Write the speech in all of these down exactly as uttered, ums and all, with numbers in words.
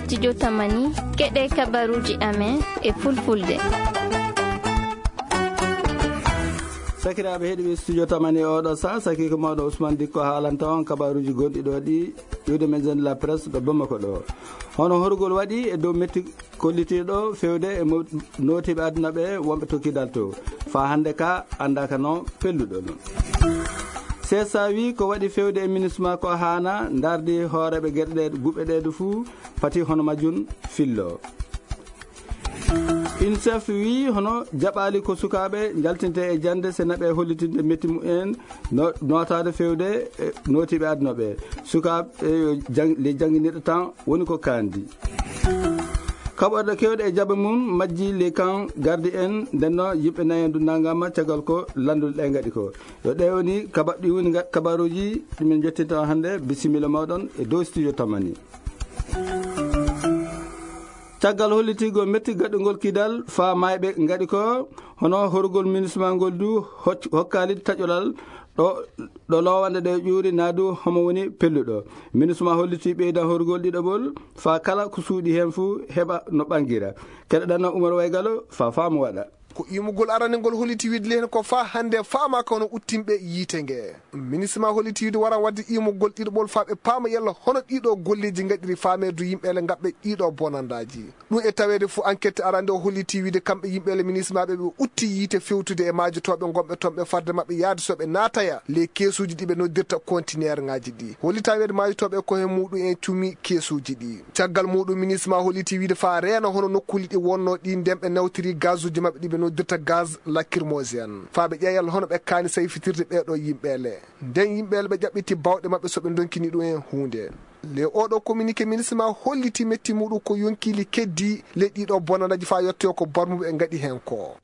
Studio Tamani, keɗe kabaruji amen e fulfulde. Sakiraaɓe heɗiɓe Studio Tamani e oɗo sa, sakiiko mawɗo Ousmane Dikko haalanta on kabaruji gonɗi ɗo ɗi, iwde men zone de la presse ɗo Bamako ɗo. Hono horgol waɗi e dow metti kollitiiɗo fewde e mo-, nootiiɓe aduna ɓe wonɓe tokkidal to. Faa hannde ka anndaaka no pelluɗo ɗum. C S A wi ko waɗi fewde e minisma ko haana ndardi hooreeɓe geɗe ɗe, guɓe ɗe ɗo fuu pati hono majjum fillo. UNICEF wi hono jaɓaali ko sukaaɓe njaltinte e jannde se naɓe hollitinde metti mumen no, nootaade fewde e nootiiɓe aduna ɓe. Sukaaɓe, e, yo jang-, le jannginirɗe tan woni ko kandi. Kaɓorɗe kewɗe e jaɓe mum majji le kan gardi en, nden noon yimɓe nayen du nangama caggal ko lannduɗe ɗe ngaɗi ko. Yo ɗe woni kaba-, ɗi woni nga-, kabaruji ɗi min jottinta on hannde. Bisimilla mawɗon e dow Studio Tamani. Caggal hollitigol metti gaɗugol kidal faa mayɓe ngaɗi ko, hono horugol minisma ngol du hoc-, hokkaali taƴolal ɗo, ɗo lowande ɗe ƴuuri naa du homo woni pelluɗo. Minisma holliti ɓeydan horugol ɗiɗaɓol faa kala ko suuɗi heen fuu heɓa no ɓangira. Keɗoɗen no Umar Waygalo faa faamu waɗa. Ko iimugol arande ngol holliti wiide lehen ko faa hannde faamaaka hono uttinɓe yiite nge. Minisma holliti wiide waran waɗde iimugol ɗiɗaɓol faa ɓe paama yalla hono ɗiɗo golleeji ngaɗiri faameedu yimɓe ele ngaɓɓe ɗiɗo bonandaaji. Ɗum e taweede fuu enquête arande o holliti wiide kamɓe yimɓe ele minisma ɓe ɓe utti yiite fewtude e maajotooɓe ngonɓe toon ɓe farde maɓɓe yaade so ɓe naataya le keesuuji ɗi ɓe noddirta conteneur ŋaaji ɗi. Hollita wiide maajotooɓe ko he muɗum en cumi keesuuji ɗi. Caggal muɗum, minisma holliti wiide faa reena hono nokkuuli ɗi wonno ɗi nden ɓe nawtiri gazuuji maɓɓe ɗi ɓe noddirta gaz lacrymogène. Faa ɓe ƴeeya hono ɓe kaani sayfitirde ɓeeɗo yimɓe ele. Nden yimɓe ele ɓe ƴaɓɓiti bawɗe maɓɓe so ɓe ndonkini ɗum en huunde. Le oɗo communiqué minisma holliti metti muɗum ko yonkiili keddi le ɗiɗo bonanaji faa yettoyo ko barmuɓe ɓe ngaɗi heen ko.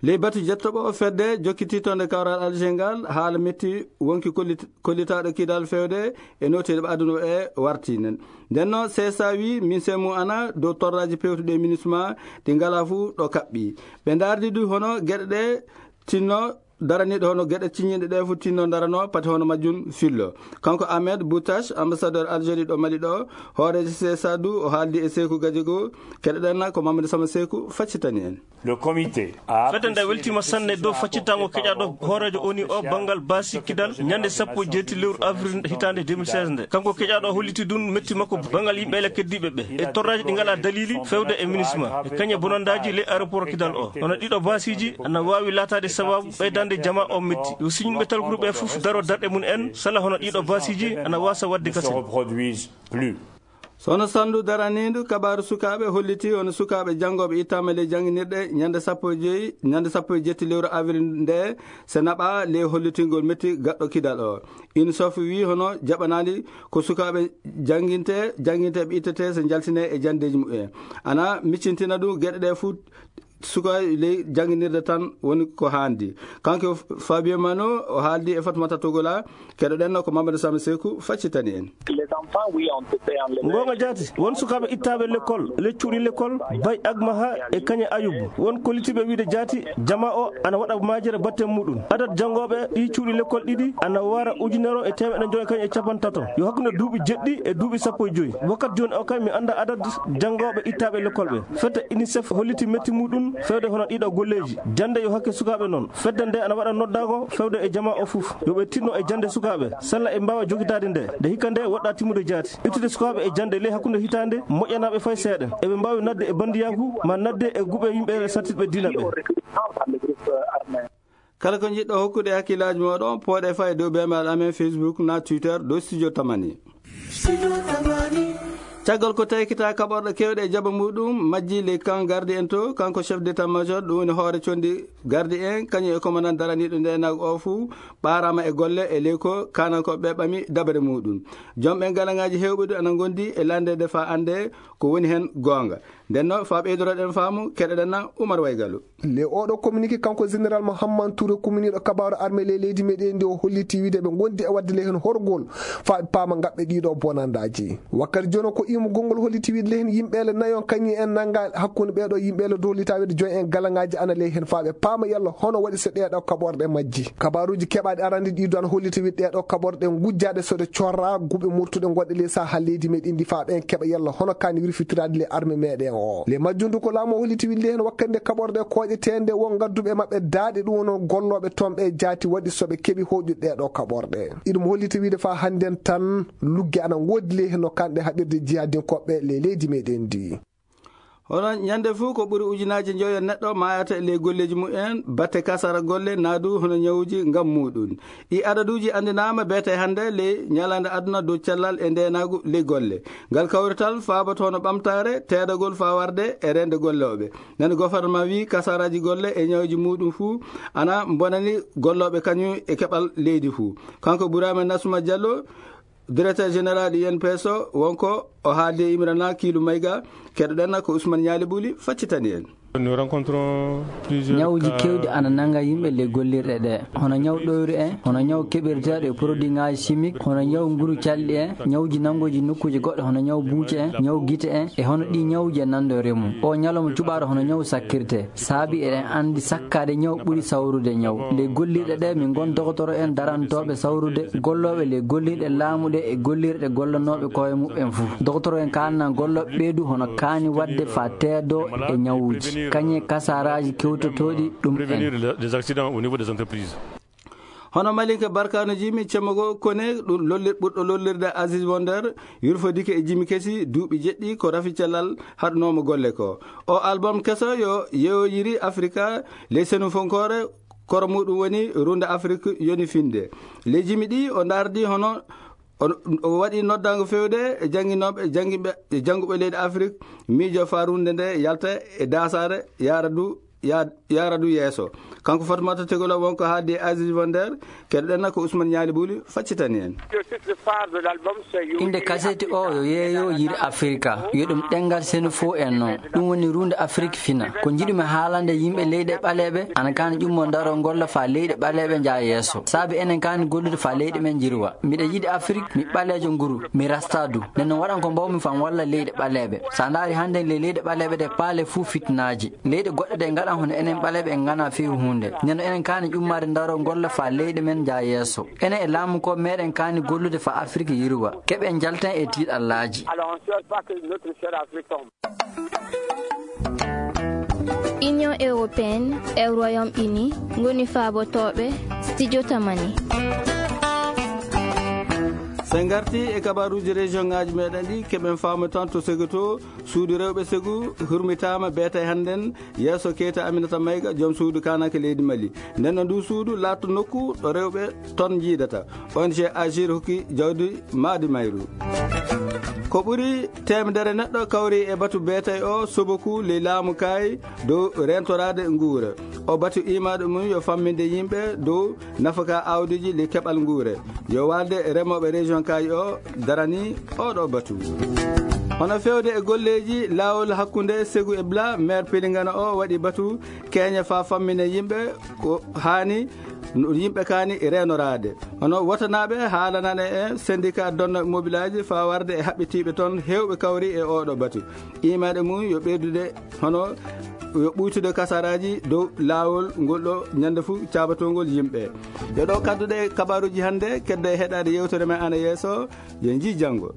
Ley batu jettoɓo fedde jokkiti toon e kawral Alger ngal, haala metti wonki kollit-, kollitaaɗo kidal fewde e nootiiɗo aduna e warti nen. Nden noon, C S A wi, min se mu ana dow torraaji pewtuɗi e minisma ɗi ngalaa fuu ɗo kaɓɓi. Ɓe ndaardi du hono geɗe ɗe tinno daraniiɗo hono geɗe ciññiiɗe ɗe fuu tinno darano pati hono majjum fillo. Kanko Ahmed Boutache, ambassadeur Algérie ɗo Mali ɗo, hooreejo C S A du o haaldi e Seeku Gadiago, keɗoɗen ko Mamadou Sama Seeku faccitani en. Le comité a Fedde nde apprécié weltiima sanne dow faccitango keƴaaɗo hooreejo O N U o banngal baasi kidal ñande sappo e jeetati lewru avril hitaande deux mille seize nde. Kanko keƴaaɗo o holliti ɗum metti makko banngal yimɓe ele keddiiɓe ɓe e torraaji ɗi ngalaa daliili fewde e minisma e kañe bonandaaji ley aéroport kidal o. Hono ɗiɗo baasiiji ana waawi laataade sabaabu ɓeydaande jamaa o metti. Yo siñinɓe talkuruɓe fof daro darɗe mum en sala hono ɗiɗo baasiiji ana waasa waɗde kasen. Sono Sandu daraniindu kabaaru sukaaɓe holliti hono sukaaɓe janngooɓe ittaama ley jannginirɗe ñande sappo e joy, ñande sappo e jetti lewru avril nde, se naɓa ley hollitingol metti gaɗɗo kidal o. UNICEF wi hono jaɓanaali ko sukaaɓe jannginte, jannginteeɓe ittete se njaltine e janndeeji mumen. Ana miccintina ɗum geɗe ɗe fuu suka ley jannginirde tan woni ko haandi. Kanko Fabio Mano o haaldi e Fatmata Togola, keɗoɗen no ko Mamadou Sama Seeku faccitani en. Ngoonga jaati, won sukaaɓe ittaaɓe lekkol, le cuuɗi lekkol, Bay Agmaha e Kañe Ayubu. Won kollitiiɓe wiide jaati, jamaa o ana waɗa maajere batte muɗum. Adat janngooɓe ɗi cuuɗi lekkol ɗiɗi ana wara ujunere e teemeɗɗe joy kañ e capantato. Yo hakkunde duuɓi jeɗɗi e duuɓi sappo e joy. Wakkati jooni o kay mi annda adat janngooɓe ittaaɓe lekkol ɓe. Fedde UNICEF holliti metti muɗum fewde hono ɗiɗo golleeji. Jannde yo hakke sukaaɓe noon. Fedde nde ana waɗa noddaago fewde e jamaa o fof. Yo ɓe tinno e jannde sukaaɓe. Sella e mbaawa jogitaade nde. Nde hikka nde woɗɗa timmude jaati. Ittude sukaaɓe e jannde ley hakkunde hitaande moƴƴanaaɓe fay seeɗa. Eɓe mbaawi nadde e banndiyaaku ma nadde e guɓe yimɓe sattiɓe diina ɓe. Kala ko njiɗɗo hokkude hakkillaaji mooɗon, pooɗe faa e dow beembaal amen Facebook naa Twitter dow Studio Tamani. Caggal ko taykita kaɓorɗe keewɗe e jaɓa muɗum, majji ley kan gardi en to, kanko chef d'état-major, ɗum woni hoore condi gardi en, kañum e commandant daraniiɗo ndeenaagu o fuu, ɓaaraama e golle e ley ko kaanankooɓe ɓe ɓami dabare muɗum. Joom ɓen galaŋaaji heewɓe du ana ngondi e lanndede faa annde ko woni heen goonga. Nden no, faa ɓeydoroɗen faamu, keɗoɗen na Umar Waygalu. Le oɗo communiqué kanko Général Mohammad Touré, kuminiiɗo kabaaru armée ley leydi meɗen ndi, o holliti wiide ɓe ngondi e waɗde le heen horgol faa ɓe paama ngaɓɓe ɗiɗo bonandaaji. Wakkati jono ko imu gongol holliti wiide le heen yimɓe le nayon kañi en nanga hakkunde ɓeɗo yimɓe le dolita wiide joy en galaŋaaji ana le heen faa ɓe paama yalla hono waɗi so ɗeɗo kaɓorɗe majji. Kabaaruuji keɓaaɗi arande ɗiɗo ana holliti wiide ɗeɗo kaɓorɗe ngujjaaɗe so ɗe corra guɓe murtuɗe gonɗe le saha leydi meɗen ndi faa ɓen keɓa yalla hono kaani wirfitiraade le armée meɗen o. Le majjundu ko laamu o holliti wiide le heen wakkati nde kaɓorɗe koƴeteende won ngadduɓe maɓɓe daaɗe ɗum wono gollooɓe toon ɓe jaati waɗi so ɓe keɓi hoƴude ɗeɗo kaɓorɗe. Iɗum holliti wiide faa hannden tan lugge ana ngoodi le heen no kanɗe haɓirde jihadinkoɓe le leydi meɗen ndi. Hono ñande fuu ko ɓuri ujunaaji njoyo neɗɗo maayata e ley golleeji mumen, batte kasara golle, naa du hono ñawuuji ngam muuɗum. Ɗi adaduuji anndinaama beete hannde ley ñalaande aduna dow cellal e ndeenaagu ley golle. Ngal kawrital faaboto hono ɓamtaare, teedagol faa warde e reende gollooɓe. Nani gofornama wii kasaraaji golle e ñawuuji muuɗum fuu ana mbonani gollooɓe kañum e keɓal leydi fuu. Kanko Burama Nasuma Diallo, directeur général U N P S o, wonko o haaldi e Imrana Kiilu Mayga, keɗoɗen ko Ousmane Ñaali Ɓuli faccitani en. Nous rencontrons plusieurs Ñawuuji cas. Keewɗi ana nannga yimɓe ley gollirɗe ɗe. Hono ñaw ɗoyru en, hono ñaw keɓirteeɗo e produitŋaaji chimique, hono ñaw nguru calɗi en, ñawuuji nanngooji nokkuuje goɗɗe hono ñaw buuce en, ñaw gite en, e hono ɗii ñawuuji e nanndo remu. O ñalawma cuɓaaɗo hono ñaw sakkirte. Saabi eɗen anndi sakkaade ñaw ɓuri sawrude ñaw. Ley gollirɗe ɗe, min ngon dogotoro en darantooɓe sawrude gollooɓe ley gollirɗe laamu ɗe e gollirɗe gollanooɓe koye muɓɓen fuu. Dogotoro en kaalna gollooɓe ɓeydu hono kaani waɗde faa teedo e ñawuuji, kañe kasaraaji kewtotooɗi ɗum en. Prévenir des accidents au niveau des entreprises. Hono malinke barkaano jimi cemmogo kone ɗum lollir-, ɓurɗo lollirde Aziz Wonder, yurfodike e jimi kesi duuɓi jeɗɗi ko rafi cellal haɗunoomo golle ko. O album keso yo yeewoyiri Afrika ley senu fonkoore, koro muɗum woni Runde Afrik yoni finde. Ley jimi ɗi o ndardi hono o, o waɗi noddango fewde e jannginooɓe, janngiɓe, e jannguɓe leydi Afrik, miijo faa runde nde yalta e daasaare, yaara du ya-, yaara du yeeso. Kanko Fatmata Tegol o wonko haaldi e Aziz Wonder, keɗoɗen ko Ousmane Ñaali Ɓuli faccitani en. Le titre phare de l'album, c'est Yo Innde Yiri kaseti o Afrika. Yo yeeyo yir Afrika, yo ɗum ɗenngal senu fof en noon. Ɗum woni runde Afrik fina. Ko njiɗumi haalande yimɓe leyɗe ɓaleeɓe, ana kaani ƴummo ndaro ngolla faa leyɗe ɓaleeɓe njaa yeeso. Saabi enen kaani gollude faa leyɗe men njirwa. Miɗa yiɗi Afrik, mi ɓaleejo nguru, mi rasta du. Nden noon waɗan ko mbawmi faa mi walla leyɗe ɓaleeɓe. So a ndaari hannden ley leyɗe ɓaleeɓe ɗe paale fuu fitinaaji. Leyɗe goɗɗe ɗe ngaɗan hono enen ɓaleeɓe en nganaa feewi huunde. Nden noon enen kaani ƴummaade ndaro ngolla faa leyɗe men njaa yeeso. Enen e laamu ko meɗen kaani gollude faa Afrik yirwa. Keɓen njalten e tiiɗallaaji. Alors, on ne souhaite pas que notre cher Afrique tombe. Union européenne e Royaume-Uni ngoni faabotooɓe Studio Tamani. So en ngarti e kabaruuji région ŋaaji meɗen ɗi, keɓen faamu tan to Segu to, suudu rewɓe Segu hurmitaama beete hannden yeeso Keita Aminata Mayga, joom suudu kaananke leydi Mali. Nden no ndu suudu laatto nokku ɗo rewɓe ton njiidata. O N G Agir hokki jawdi maadi mayru. Ko ɓuri teemedere neɗɗo kawri e batu beete o soboku ley laamu Kaayi dow reentoraade nguura. O batu iimaaɗo mum yo famminde yimɓe dow nafaka awdiji ley keɓal nguura. Yo waalde remooɓe région Kaayi o darani oɗo batu. Hono fewde e golleeji laawol hakkunde Segu e Bla, maire Pelingana o waɗi batu keña faa fammine yimɓe ko haani no yimɓe kaani reenoraade. Hono wotanaaɓe haalanane e syndicat donno mobilaaji faa warde e haɓɓitiiɓe toon heewɓe kawri e oɗo batu. Iimaaɗo mum yo ɓeydude hono yo ɓuytude kasaraaji dow laawol ngol ɗo ñande fuu caabatongol yimɓe. Yo ɗo kadduɗe kabaruuji hannde, keddo e heɗaade yewtere men ana yeeso, yo njii janngo.